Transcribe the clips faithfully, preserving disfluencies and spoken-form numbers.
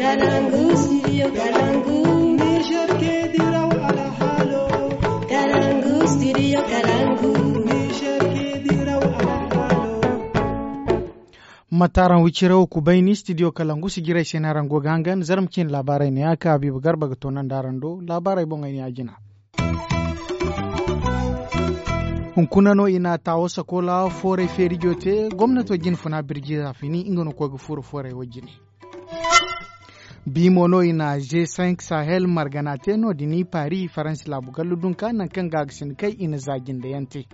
Kalangu, studio Kalangu. Niger ke diraw alhalo. Kalangu, studio Kalangu. Niger ke diraw alhalo. Mataraŋ wiciraw ku bayni studio Kalangu si jiray se no araŋ go ga hangan zarma cin laabaarey ne ya ka Habiiba Garba ga toonandi araŋ do. Laabaarey boŋey ne ya jina. Hunkuna no i na taawo sakola fooray feerijo te gomnato jinfuna birji zaafini nga no koy ga furo fooray wo jine. Bi mo no i na g cinq sahel margana te no- din paris faransi laabu gallu dunka nangu kaŋ ga ga sinda kay i na za jinde yaŋ te.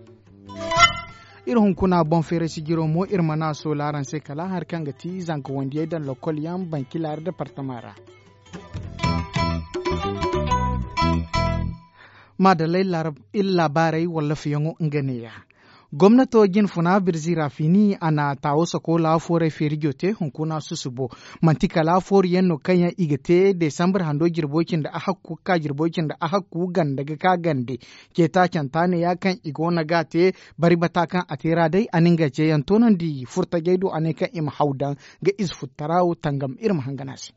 Iri hunkuna boŋ feeray sijiro mo iri mana a soola araŋ se kala hari kaŋ ga ti zanka wandiyey daŋ lokol yaŋ bankila departama ra. Maadalla iri laabaarey walla fiyaŋo nga neeya. Gomnato jinfuna birzi ra fini a na taawo sakola fooray feerijo te hunkuna susubo. Manti kala fooru yaŋ no kaŋ yaŋ i ga te desambar hando jirbo cindi a hakku ga ka jirbo cindi a hakku ganda ga ka gande. Ceeta canta neeya kaŋ i go no ga a te bari bata kaŋ a te ra day a na nga ceeyaŋ toonandi furtajey do a ne kaŋ i ma haw daŋ ga ize futtara wo tangam iri ma hangan a se.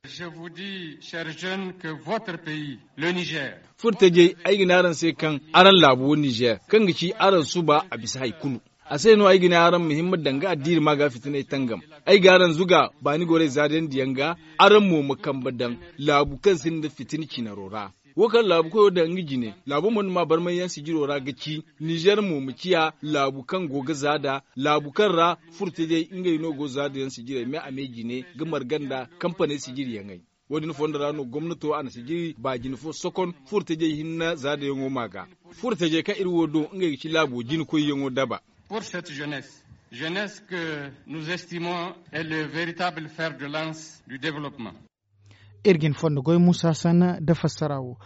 Je vous dis chers jeunes que votre pays le niger. Furtajey ay ga ne araŋ se kaŋ araŋ laabo niger kaŋ ga ci araŋ suba a bisa hari kulu. A se no ay ga ne araŋ ma himma danga addiiri ma ga fitiney tangam. Ay ga araŋ zuga baani gorey zaadandi yaŋ ga araŋ mo ma kambe daŋ laabu kaŋ sinda fitina cinaro ra. Wo kaŋ laabu koyo daŋ nga jine laabo mo nda ma barmay yaŋ sijiro ra ga ci nizer mo ma ciya laabu kaŋ go ga za da laabu kaŋ ra furtajey ngey no go za da yaŋ sijirey me a me jine ga marga nda kampaney sijiri yaŋey. Wo- din fondo ra no gomnato a na sijiri baajine fo sokon furtajey hinne za da yaŋo ma ga. Furtajey kaŋ iri wo do ngey ga ci laabo jine koy yaŋo daba. Pour cette jeunesse jeunesse que nous estimons est le veritable fer de lance du developpement. Iri ga ni fondo goy musa sanna nda fassara wo.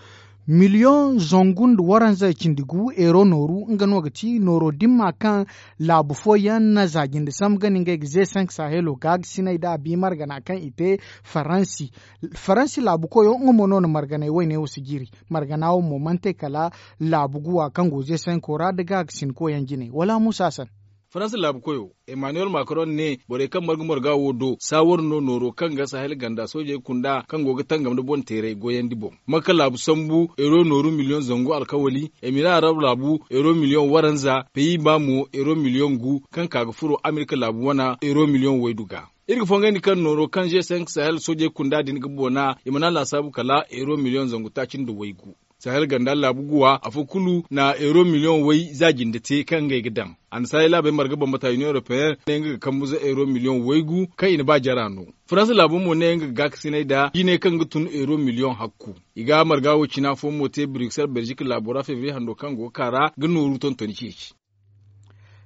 Miliyoŋ zangu nda waranza cindi gu euro nooru nga no ga ti nooro dimma kaŋ laabu fooyaŋ na za jinde sambu ga ni ngey ga ze sank sahelo ga ga sinay nda a bi margana kaŋ i te faransi. Faransi laabu koyo nga mo no na marganay wayne wo sijiri. Margana wo mo mana te kala laabu guwa kaŋ go ze sanko ra nda ga ga sinko yaŋ jinay wala musa sanna. Faransa laabu koyo emmanuel macron ne borey kaŋ marga marga wo do saawar no nooro kaŋ ga sahel ganda soojey kunda kaŋ go ga tangam nda boŋ teeray goyandi boŋ. Makka laabu sambu euro nooru miliyoŋ zangu alkawali emira arab laabu euro miliyoŋ waranza peyi ba mo euro miliyoŋ gu kaŋ ka ga furo amerika laabu wana euro miliyoŋ waydu ga. Iri ga fongandi kaŋ nooro kaŋ g cinq sahel soojey kunda din ga boona i mana laasaabu kala euro miliyoŋ zangu taaci nda waygu. Sahel ganda laabu guwa afo kulu na euro miliyoŋ way za jinde te kaŋ ngey ga daŋ. Annasaarey laabey marga bambata union européenne ne nga ga kambu za euro miliyoŋ waygu kaŋ i na ba jara no. Faransa laabo mo ne nga ga gaakasinay nda jine kaŋ ga tun euro miliyoŋ hakku. I ga marga wo cina fo mo te bruxelles belgique laabo ra février hando kaŋ go ga ka ra ga nooru tontoni ceeci.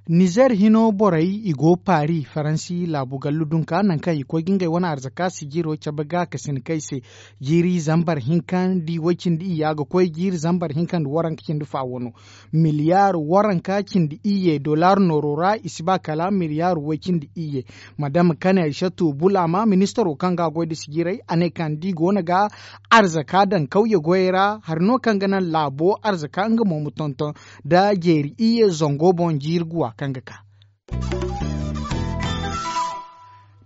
Nizer hino borey i go paris faransi laabu gallu dunka nangu kaŋ i koy ga ngey wane arzaka sijiro cabe ga ka sina kay se. Jiiri zambar hinka nda i way cindi iyya ga koy jiiri zambar hinka nda waranka cindi fa wano. Miliyar waranka cindi iyye dollar nooro ra i si ba kala miliyar way cindi iyye. Madam kane aysatu bulama ministaro kaŋ ga a goy nda sijiray a ne kaŋ da i go no ga arzaka daŋ kawye goyey ra hari no kaŋ ga naŋ laabo arzaka nga mo ma tonton nda jeeri iyye zango boŋ jiiri guwa kaŋ ga ka.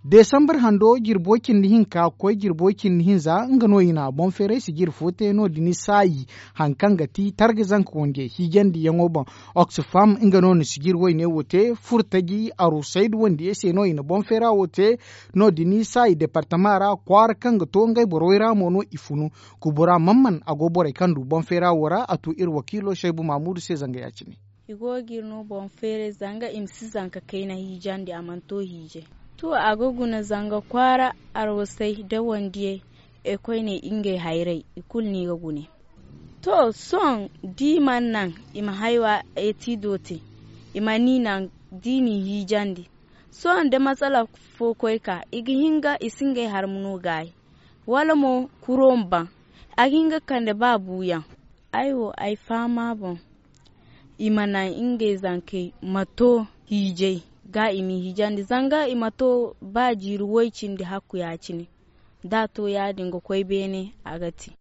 Desambar hando jirbo cindi hinka ga koy jirbo cindi hinza nga no i na boŋ feeray sijiri fo te no- din saayi. Hari kaŋ ga ti targa zanka wandiyey hiijandiyaŋo boŋ. Oxfam nga no na sijiri wayne wo te furtaji arusayda wandiyey se no i na boŋ feera wo te. No- din saayi departama ra kwaara kaŋ ga to ngey borey ra mo no i funu. Kubura mamman a go borey kaŋ du boŋ feera wo ra a tu iri wakiilo saybu mamudu se zanga ya- cine. I go ga iri no boŋ feeray zanga i ma si zanka kayna hiijandi a mana to hiijay. To a ga guna zanga kwaara arwasay da wandiyey. E koyne ngey hayray i kulu no i ga gune. To sohõ da i mana naŋ i ma haywa etiido te i mana i naŋ da i n'i hiijandi. Sohõ da masala fo koy ka i ga hin ga i si ngey harma no gaayi wala mo kuro ma baŋ. A ga hin ga kande ba buuyaŋ. Ay wo ay fahama boŋ i ma naŋ ngey zankey ma to hiijay ga i m'i hiijandi zanga i ma to ba jiiri way cindi hakku ya- cine. Da a to ya- din ga koy beene a ga te.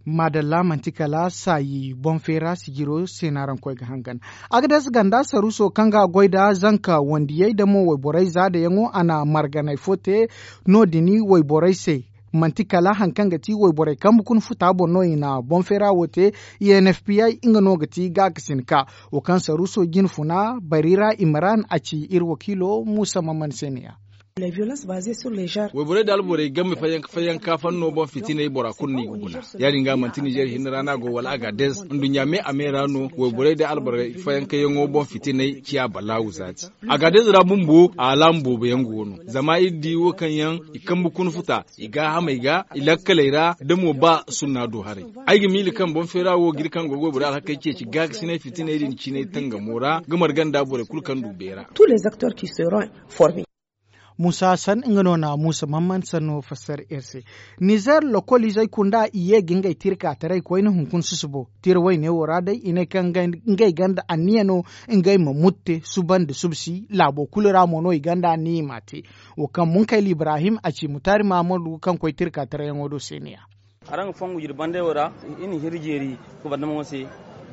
Maadalla manti kala saayi boŋ feera sijiro se no araŋ koy ga hangan. Agades ganda saruuso kaŋ ga a goy nda zanka wandiyey nda mo wayborey zaadayaŋo a na marganay fo te. No- din wayborey se manti kala hari kaŋ ga ti wayborey kambe kuna futa boŋ no i na boŋ feera wo te. I n f p i nga no ga ti gaakasinka wo kaŋ saruuso jine funa bari ra imran a ci iri wakiilo muusa mamman se ne ya. Wayborey nda alborey game fayyanka fayyanka fanno boŋ fitiney bora kulu no i ga guna. Ya- din ga manti nizer hinne ra no a go wala agades nduɲɲa me a me ra no. Wayborey nda alborey fayyankayaŋo boŋ fitiney ciya balaawu zaati. Agades ra bumbo a alaamu boobo yaŋ go no zama iri di wo kaŋ yaŋ i kambe kuna futa i gaahamey ga i lakkaley ra da mo ba sunna do haray. Ay ga miila kaŋ boŋ feera wo ga iri kaŋ go ga wayborey alhakey ceeci gaakasinay fitiney din cinay tangamo ra ga marga nda borey kulu kaŋ du beera. Muusa hassan nga no na muusa mamman sanno fassara iri se. Nizer lokoliizey kunda i ye ga ngey tirka taray koyne hunkuna susubo tira wayne wo ra day i ne kaŋ ngey ganda anniya no ngey ma mutte suba nda subsi laabo kulu ra mo no i ganda anniya i m'a te. Wo kaŋ munkayla ibrahim a ci mutaari mahamadu kaŋ koy tirka tarayyaŋo do se ne ya. Araŋ ga fongu jirbi bandey wo ra. Iri na hiri jeeri gubardamaŋo se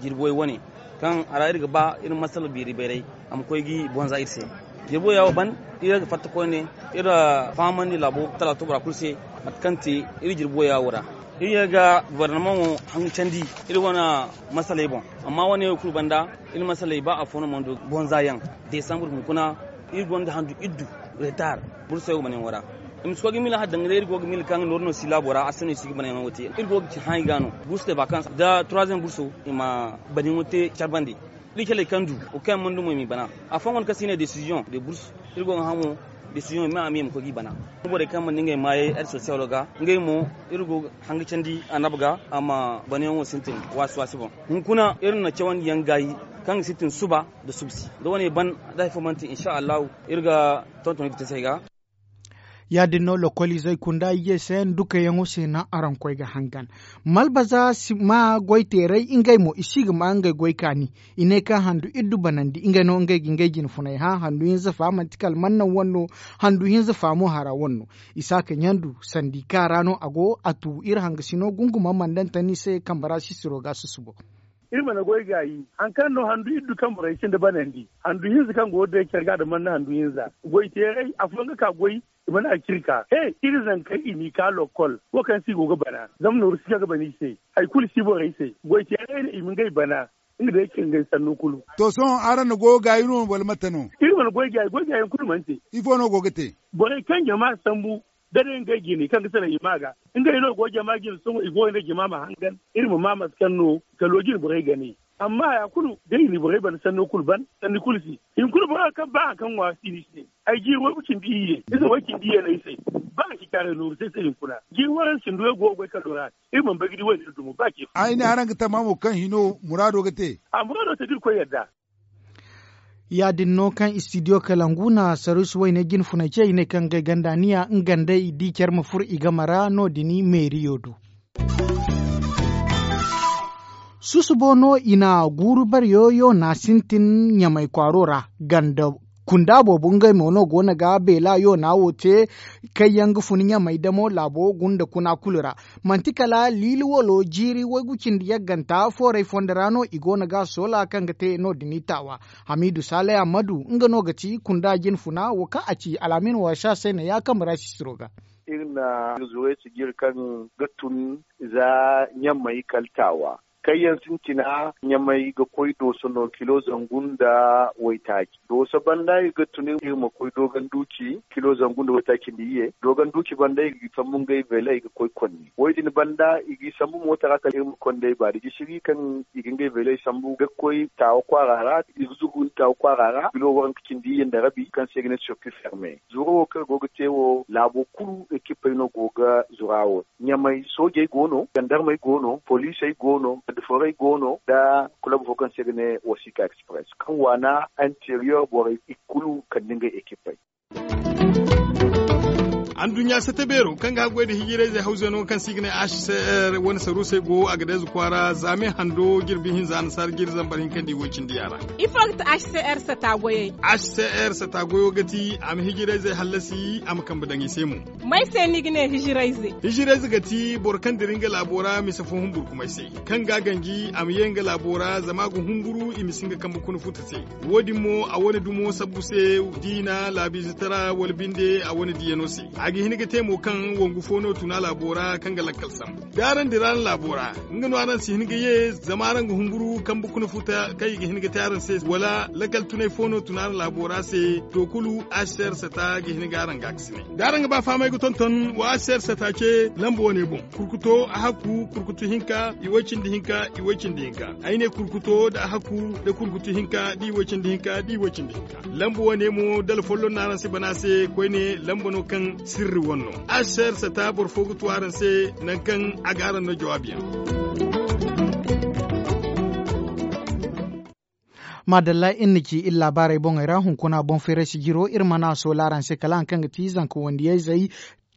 jirbi way wane kaŋ a ra iri ga ba iri masala beeri bayray a ma koy ga i bonza iri se. Jirbi waya wo ban iri ga fatta koyne iri fahamandi laabo talato bora kulu se mate kaŋ te iri jirbi waya wo ra. Iri ye ga gubardamaŋo hanga candi iri wane masaley boŋ. Amma wane wo kulu banda iri masaley ba afo no mana du bonza yaŋ. Desambur hunkuna iri gonda handu iddu retar burso yaŋ ga banayaŋo ra. I ma si koy ga miila hari danga day iri go ga miila kaŋ ga nooru no si laabo ra a si no i si ga banayaŋo te iri go ga ci haŋ i ga no. Burso te vakans da troisième burso i ma banayaŋo te care bande. Iri caley kaŋ du wo kaŋ yaŋ mana du mo i m'i bana. Afooyaŋ go no kaŋ se i ne desiziyoŋ de burso iri go ga hã mo desiziyoŋ i ma a me i ma koy g'i bana. Borey kaŋ mana ngey maayey aide sosiyalo ga ngey mo iri go ga hanga candi annaba ga a ma banayaŋo sintin waasi waasi boŋ. Hunkuna iri na cawandi yaŋ gaayi kaŋ ga sintin suba nda subsi da wane ban da hari fo mana te insa allahu iri ga tonton ga te se ay ga. Ya- din no lokoliizey kunda iyye se ndukayaŋo se naŋ araŋ koy ga hangan. Malbaza si ma goy teeray ngey mo i si ga ma ngey goy kaani. I ne kaŋ handu iddu banandi ngey no ngey ga ngey jine funay hã handu hinza fa manti kala mannaŋ wane no. Handu hinza fa mo hara wane no. Isaaka ɲandu sandika ra no a go a tu iri hangasino gunguma mandantani se kambe ra sisiro ga susubo. Iri mana goy gaayi hari kaŋ no handu iddu kaŋ borey sinda banandi handu hinza kaŋ go ga day care ga da manna handu hinza. Goy teeray afooyaŋ ga ka goy. I mana a ciri ka he iri zankey i n'i ka lokkol wo kaŋ se i go ga bana. Zama nooru si kaŋ ga bana i se hari kulu si borey se goy teeray no i ma ngey bana. Nga day ciri ngey sanno kulu. To sohõ araŋ na goy gaayi no wala mate no? Iri mana goy gaayi goy gaayaŋ kulu mana te. Ifo no go ga te? Borey kaŋ jama sambu da day ngey jine kaŋ ga salaŋ i ma ga ngey no go jama jine sohõ i go ga ne jama ma hangan iri ma ma mate kaŋ no kalo jine borey ga ne. Amma haya kulu da i na borey bana sanno kulu ban sanni kulu se. Hinkuna boro kaŋ ba hari kaŋ ŋwa si ni se. Ay jiiri way ga cindi iyye ize way cindi iyye no ay se. Ba ga ci kaaray nooru se se hinkuna jiiri waranka cindi way go ga goy kalo ra. Iri mana bay ga di wayne iri dumo ba ce. Ay ne araŋ ga tama mo kaŋ hino muraado ga te. A muraado te da irkoy yadda. Ya- din no kaŋ istidiyo kalangu na saruusi wayne jine funay ce i ne kaŋ ngey ganda niya nga nda i di care ma furo i game ra no- din meeriyo do. Susubo no i na guuru bare yo yoona sintin ɲamay kwaaro ra ganda kunda boobo ngey mo no go no ga beela yoona wo te. Kaŋ yaŋ ga fun ɲamay damo laabo gunda kuna kulu ra. Manti kala liili walo jiiri waygu cindi yagganta foorey fondo ra no i go no ga soola kaŋ ga te no- din i taawa. Hamiidu saalay ammadu nga no ga ti kunda jine funa wo kaŋ a ci al'amin waasa se ne ya kambe ra sisiro ga. Iri na iri zurey sijiri kaŋ ga tun za ɲamay kala taawa. Kaŋ yaŋ sintina ɲamay ga koy dooso no kilo zangu nda waytaaci dooso banda iri ga tun iri ma koy doogan duuci kilo zangu nda waytaaci nda iyye doogan duuci banda iri ga sambu ngey veeley ga koy konni. Wo- din banda i g'i sambu moota ra kala iri ma kond'ey baari gisiri kaŋ i ga ngey veeley sambu ga koy taawa kwaara ra. I ga zugu nda taawa kwaara ra kilo waranka cindi iyye nda rabi kaŋ se i ga ne circuit ferme. Zuro wo kaŋ go ga te wo laabo kulu ekipey no go ga zura wo. Ɲamay soojey go no, jandarmey go no, poliisey go no, garde forey go no nda kulab fo kaŋ se i ga ne wasika express kaŋ waana interior borey i kulu kande ngey ekipey. Anduɲɲa sata beero kaŋ ga haggoy nda hijirayzey hawzano kaŋ se i ga ne h c r wane saruusey go a ga deeza kwaara zaame hando jirbi hinza annasaara jiri zambar hinka nda i woy cindi yaara. Ifo ga ti h c r sata goyey? H c r sata goyo ga ti a ma hijirayzey hallasi a ma kambe daŋ i se mo. May se ni ga ne hijirayze? Hijirayze ga ti boro kaŋ dira nga laabo ra mise fo humburkumay se, kaŋ ga a ganji a ma ye nga laabo ra zama a ga humburu i ma si nga kambe kuna futa se. Wo- din mo a wane dumo sabbu se, diina laabiizitara wala binde a wane diyano se. A ga hin ga te mo kaŋ wangu fo no tun a laabo ra kaŋ ga lakkal sambu da araŋ dira araŋ laabo ra, nga no araŋ si hin ga ye zama araŋ ga humburu kambe kuna futa kaŋ i ga hin ga te araŋ se wala lakkal tunay fo no tun araŋ laabo ra se. To kulu, h c r sata ga hin ga araŋ gaakasinay da araŋ ga ba fahamay ga tonton wa h c r sata ce lamba wane boŋ. Kurkuto a hakku kurkutu hinka i way cindi hinka i way cindi hinka. Ay ne kurkuto nda a hakku nda kurkutu hinka da i way cindi hinka da i way cindi hinka. Lamba wane mo dala folloŋ no araŋ si bana se koyne lamba no kaŋ sirri wane no. H c r sata boro fo ga tu araŋ se nangu kaŋ a ga araŋ no jawaabiyaŋ. Maadalla iri na ci iri laabaarey boŋey ra hunkuna boŋ feerasi jiro iri mana a soola araŋ se kala hari kaŋ ga ti zanka wandiyayzey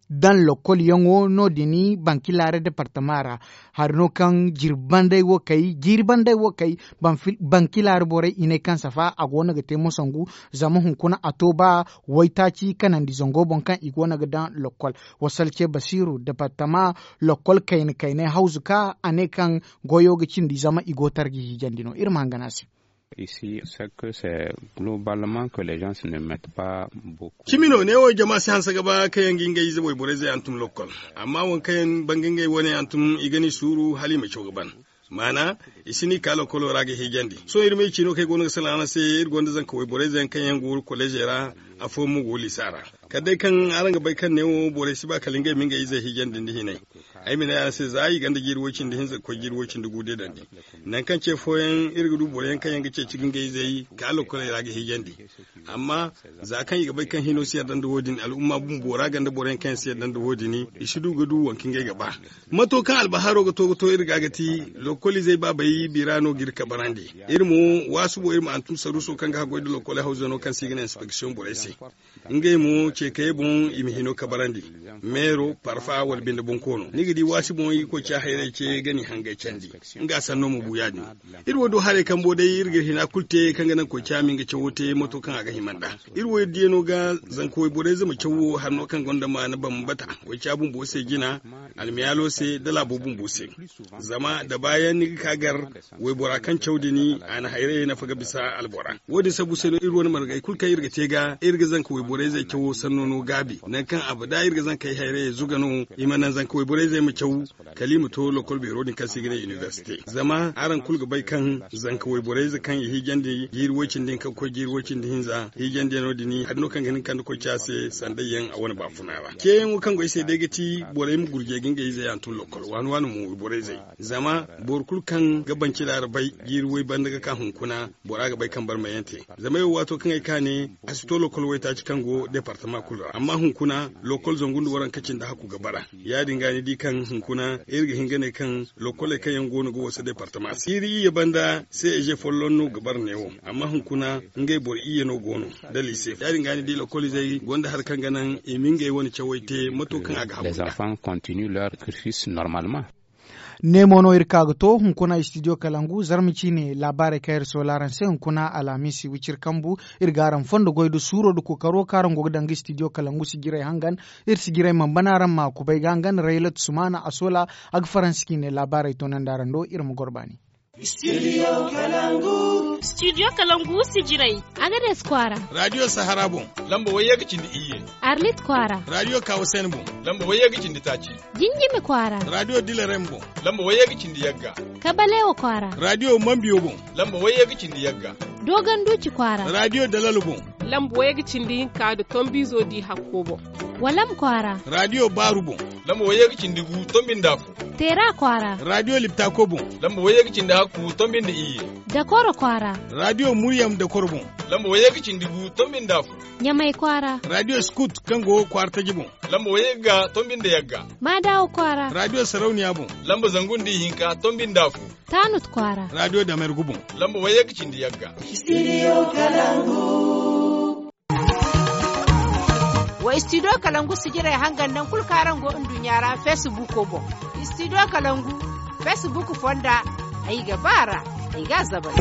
daŋ lokol yaŋo no- din bankilaare departama ra. Hari no kaŋ jiiri bandey wo kay bankilaare borey i ne kaŋ safa a go no ga te mosangu. Zama hunkuna a to ba waytaaci kanandi zango boŋ kaŋ i go no ga daŋ lokol. Wasal ce basiiru departama lokol kayna kaynay hawzu ka a ne kaŋ goyo ga cindi zama i go tarji hiijandi no iri ma hangan a se. Cimi no neewo jama si hanse ga ba kaŋ yaŋ ga ngey ize wayborey ze hantum lokkol. Amma waŋ kaŋ yaŋ banga ngey wane hantum i ga ni suuru hala i ma caw ga ban. Maana i si ni ka lokkolo ra ga hiijandi sohõ iri ma i ciino kaŋ ay go no ga salaŋ araŋ se. Iri gonda zanka wayborey ze yaŋ kaŋ yaŋ go koleezey ra. Afooyaŋ mo go liisa ra. Kala day kaŋ araŋ ga bay kaŋ neewo borey si ba kala ngey ma ngey izey hiijandi nda hinay. Ay ma ne araŋ se za i gonda jiiri woy cindi hinza ga koy jiiri woy cindi gu deedandi. Nangu kaŋ ce fooyaŋ iri ga du boro yaŋ kaŋ yaŋ ga ceeci ga ngey izey ka lokoley ra ga hiijandi. Amma za kaŋ i ga bay kaŋ hino si yadda nda wo- din al'umma bumbo ra gonda boro yaŋ kaŋ yaŋ si yadda nda wo- din i si du ga du waŋ kaŋ ngey ga ba. Mato kaŋ albaharo ga to ga to iri ga ga ti lokol izey baabey bira no ga iri kabarandi. Iri mo waasubo iri ma hantum saruuso kaŋ ga haggoy nda lokoley hawzano kaŋ se i ga ne inspeksiyoŋ borey se. Ngey mo ceekayey boŋ i ma hino kabarandi. Meero parfa wala binde bonkoono ni ga di waasi boŋ i koy ca hayrey ce ga ni hangay candi. Nga sanno ma bu ya- din. Iri wo du haray kambo day iri ga iri hina kulu te kaŋ ga naŋ koy ca ma nga cawo te mato kaŋ a ga hima nd'a. Iri wo iri diyano ga zanka wayborey zama cawo hari no kaŋ gonda maana bambata koy ca bumbo se jina, almiyaalo se da laabo bumbo se. Zama da baayaŋ ni ga ka gar waybora kaŋ caw din a na hayrayey nafa ga bisa albora. Wo- din sabu se no iri wane margey kulu kaŋ iri ga te ga iri ga zanka wayborey zey cawo sanno no gaabi nangu kaŋ abada iri ga zankey hayrayey zuga no. I ma naŋ zanka wayborey zey ma caw kala i ma to lokol beero din kaŋ se i ga ne inibersite. Zama araŋ kulu ga bay kaŋ zanka wayborey ze kaŋ i hiijandi jiiri woy cindi hinka ga koy jiiri woy cindi hinza hiijandiyano din hari no kaŋ ga hin ga kande koy ca se sandayyaŋ a wane baafuna ra ceeyaŋo kaŋ go ay se day ga ti borey ma gurjey ga ngey izey hantum lokol waani waani mo wayborey zey. Zama boro kulu kaŋ ga banci laara bay jiiri woy banda ga ka hunkuna bora ga bay kaŋ barmayante. Zama ay wo waato kaŋ ay ka ne a si to lokol waytaaci kaŋ go departama kulu ra amma hunkuna lokol zangu nda waranka cindi hakku ga bara. Ya- din ga ni di kaŋ hunkuna iri ga hin ga ne kaŋ lokoley kaŋ yaŋ go no ga wasa departama se iri iyye banda se eze folloŋ no ga bara neewo. Amma hunkuna ngey boro iyye no go no da liise ya- din ga ni di lokolizey gonda hari kaŋ ga naŋ i ma ngey wane cawey te mato kaŋ a ga hagu nda. Ne mo no iri ka ga to hunkuna studio kalangu zarma ciine laabaarey kaŋ iri soola araŋ se hunkuna alhamiisi wiciri kambu. Iri ga araŋ fondo goy nda suuro nda kookaro kaŋ araŋ go ga daŋ ga studio kalangu sijirey hangan. Iri sijirey mana bana araŋ ma kubay ga hangan raylat sumaana a soola a ga faransi ciine laabaarey toonandi araŋ do iri ma goro baani. Studio kalangu sijirey. Agades kwaara. Radiyo sahara boŋ. Lamba wayye ga cindi iyye. Arlit kwaara. Radiyo kawasen boŋ. Lamba wayye ga cindi taaci. Jinjimi kwaara. Radiyo dilarem boŋ. Lamba wayye ga cindi yagga. Kabalewa kwaara. Radiyo mambiyo boŋ. Lamba wayye ga cindi yagga. Dogon duci kwaara. Radiyo dalalo boŋ. Lamba wayye ga cindi hinka nda tombizo di hakko boŋ. Walam kwaara. Radiyo baaru boŋ. Lamba wayye ga cindi gu tombi nda afo. Teera kwaara. Radiyo liptako boŋ. Lamba wayye ga cindi hakku tombi nda iyye. Dakoro kwaara. Radiyo muryam dakoro boŋ. Lamba wayye ga cindi gu tombi nda afo. Ɲamay kwaara. Radiyo skut kaŋ go kwaara taji boŋ. Lamba wayye ga tombi nda yagga. Maadawa kwaara. Radiyo sarauniya boŋ. Lamba zangu nda ihinka tombi nda afo. Taanut kwaara. Radiyo damergu boŋ. Lamba wayye ga cindi yagga. Studio kalangu. Wa istidiyo kalangu sijirey hangan naŋ kulu kaŋ araŋ go nduɲɲa ra feesibuuko boŋ. Istidiyo kalangu feesibuuk fonda, ay ga ba a ra, ay ga a zabay.